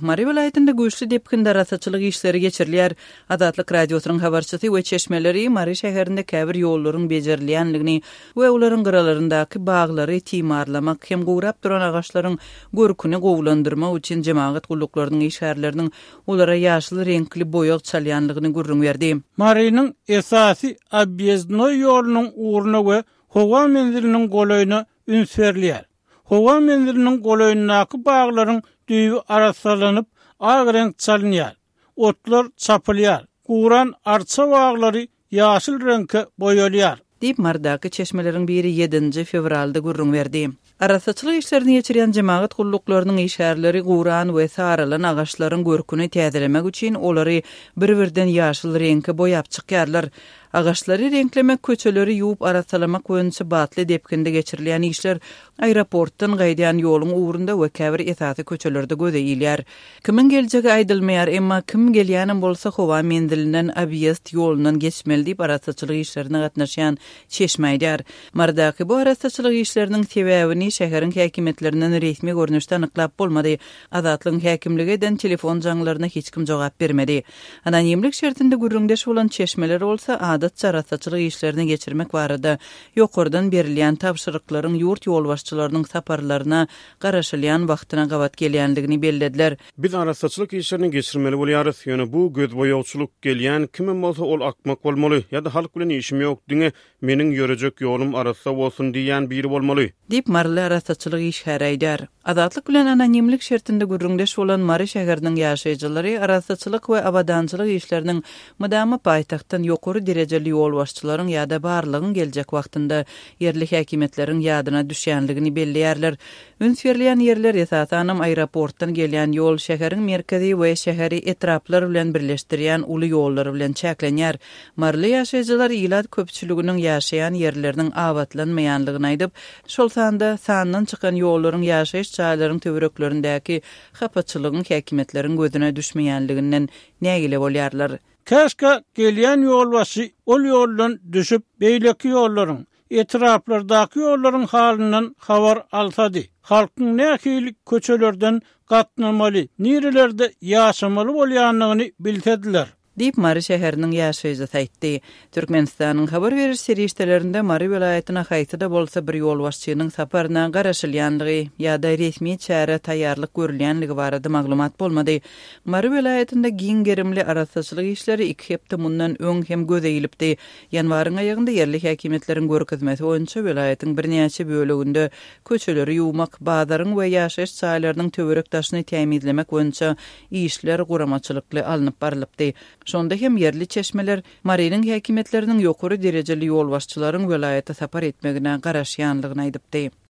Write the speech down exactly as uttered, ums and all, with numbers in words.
Mary welaýatynda güýçli depginde arassaçylyk işleri geçirilýär. Azatlyk Radiosynyň habarçysy we çeşmeleri Mary şäherinde käbir ýollaryň bejerilýänligini we olaryň gyralaryndaky baglary timarlamak hem gurap duran agaçlaryň görküni gowulandyrmak üçin jemagat gulluklarynyň işgärleriniň olara ýaşyl reňkli boýag çalýanlygyny gürrüň berdi. Marynyň esasy obýezdnoý ýolunyň ugruna we howa menziliniň golaýyna üns berilýär. Howa menziliniň golaýyndaky baglaryň düýbi arassalanyp, ak reňk çalynýar. Otlar çapylýar. Guran arça baglary ýaşyl reňke boýalýar. Diýip Marydaky çeşmeleriň biri ýedinji fewralda gürrüň berdi. Arassaçylyk işlerini geçirýän jemagat gulluklarynyň işgärleri guran we saralan agaçlaryň görküni täzelemek üçin olary bir-birden ýaşyl reňke boýap çykýarlar. Agaçlary reňklemek, köçeleri ýuwup arassalamak boýunça batly depginde geçirilýän işler aeroportdan gaýdýan ýoluň ugrunda we käbir esasy köçelerde göze ilýär. Kimiň geljegi aýdylmaýar, emma kim gelýänem bolsa howa menzilinden obýezd ýolundan geçmeli diýip arassaçylyk işlerine gatnaşýan çeşme aýdýar. Marydaky bu arassaçylyk işleriniň sebäbini şäheriň häkimiýetlerinden resmi görnüşde anyklap bolmady. Azatlygyň häkimligi eden telefon jaňlaryna hiç kim jogap bermedi. Anonimlik şertinde gürrüňdeş bolan çeşmeler bolsa adatça arassaçylyk işlerini geçirmek barada ýokardan berilýän tabşyryklaryň ýurt ýolbaşçylarynyň saparlaryna garaşylýan wagtyna gabat gelýänligini bellediler. Biz arassaçylyk işlerini geçirmeli bolýarys. Ýöne bu gözboýagçylyk gelýän kimem bolsa ol akmak bolmaly ýa-da halk bilen işim ýok, diňe meniň ýörejek ýolum arassa bolsun diýen biri bolmaly. Diýip Maryly arassaçylyk işgäri aýdar. Azatlyk bilen anonimlik şertinde gürrüňdeş bolan Mary şäheriniň ýaşaýjylary arassaçylyk we abadançylyk işleriniň mydama paýtagtdan ýokary derejeli ýolbaşçylaryň ýa-da barlygyň geljek wagtynda ýerli häkimiýetleriň ýadyna düşýänligini belleýärler. Üns berilýän ýerler esasanam aeroportdan gelýän ýol şäheriň merkezi we şäheri etraplar bilen birleşdirýän uly ýollar bilen çäklenýär. Maryly ýaşaýjylar ilat köpçüliginiň ýaşaýan ýerleriniň abatlanmaýanlygyny aýdyp, şol sanda sandan çykan ýollaryň ýaşaýyş jaýlaryň töwereklerindäki hapaçylygyň häkimiýetleriň gözüne düşmeýänliginden nägile bolýarlar. Käşkä gelýän ýolbaşçy ol ýoldan düşüp beýleki ýollaryň, etraplardaky ýollaryň halyndan habar alsady. Halkyň nähili köçelerden gatnamaly, nirelerde ýaşamaly bolýanlygyny bilsediler. Diýip Mary şäheriniň ýaşaýjysy aýtdy. Türkmenistanyň habar beriş serişdelerinde Mary welaýatyna haýsy-da bolsa bir ýolbaşçynyň saparyna garaşylýanlygy ýa-da resmi çäre taýýarlyk görülýänligi barada maglumat bolmady. Mary welaýatynda giň gerimli arassaçylyk işleri iki hepde mundan öň hem göze ilipdi. Ýanwaryň aýagynda ýerli häkimiýetleriň görkezmesi boýunça welaýatyň birnäçe böleginde köçeleri ýuwmak, bazaryň we ýaşaýyş jaýlarynyň töwerek daşyny tämizlemek boýunça işler guramaçylykly alnyp barylypdy. Şonda hem ýerli çeşmeler Marynyň häkimiýetleriniň ýokary derejeli ýolbaşçylaryň welaýata sapar etmegine garaşýanlygyny aýdypdy.